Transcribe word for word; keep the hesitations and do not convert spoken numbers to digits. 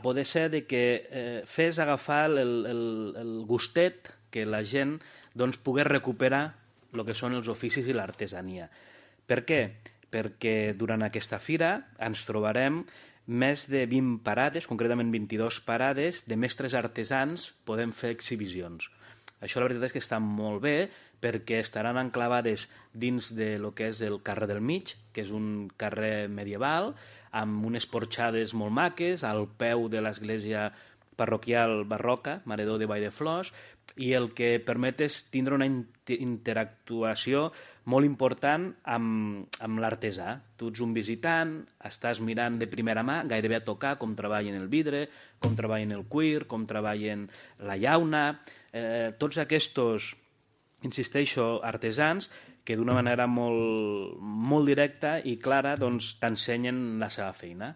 poder ser de que eh, fes agafar el, el, el gustet que la gent doncs, pogués recuperar el que són els oficis i l'artesania. Per què? Perquè durant aquesta fira ens trobarem més de vint parades, concretament vint-i-dues parades, de mestres artesans podem fer exhibicions. Això la veritat és que està molt bé perquè estaran enclavades dins de lo que és el carrer del Mig, que és un carrer medieval, amb unes porxades molt maques, al peu de l'església parroquial barroca, Mare Déu de Vallflors, i el que permet és tindre una interactuació molt important amb, amb l'artesà. Tu ets un visitant, estàs mirant de primera mà, gairebé a tocar com treballen el vidre, com treballen el cuir, com treballen la llauna, eh, tots aquests, insisteixo, artesans que d'una manera molt, molt directa i clara doncs, t'ensenyen la seva feina.